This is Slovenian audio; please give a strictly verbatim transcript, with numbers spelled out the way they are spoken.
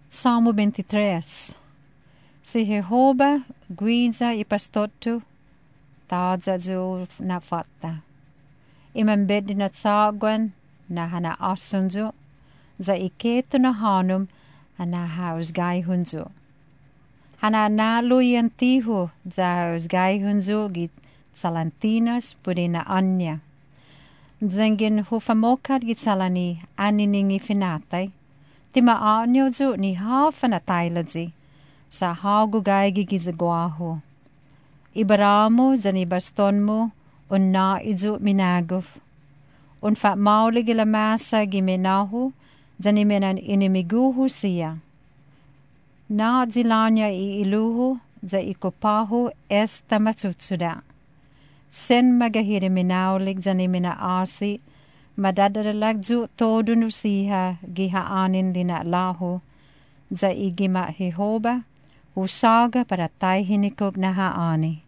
Salmo veintitrés. Si Jehovah guida y pastor tu, taadza zu na fatta. Imambed na tsagwan na hana asunzo, za iketo na hanum hana haus gai hunzo. Hana nalo yantiho za haus gai hunzo git salantinas pudina anya. Zengin hufamokad git salani aniningi finatai, tima anyo zu ni hafa na tailadzi, sa hagu gai gigizagwaho. Ibaramo zani bastonmo un na izu minaguf. Un fa mauli gila masa gimenahu zani menan inimiguhu siya. Na zilanya i iluhu za ikopahu esta matsutsuda. Sen magahiri minaulik zani mina asi madadadalag zu todunu siha giha anin lina lahu za igima Jehovah usaga para taihinikog na haani.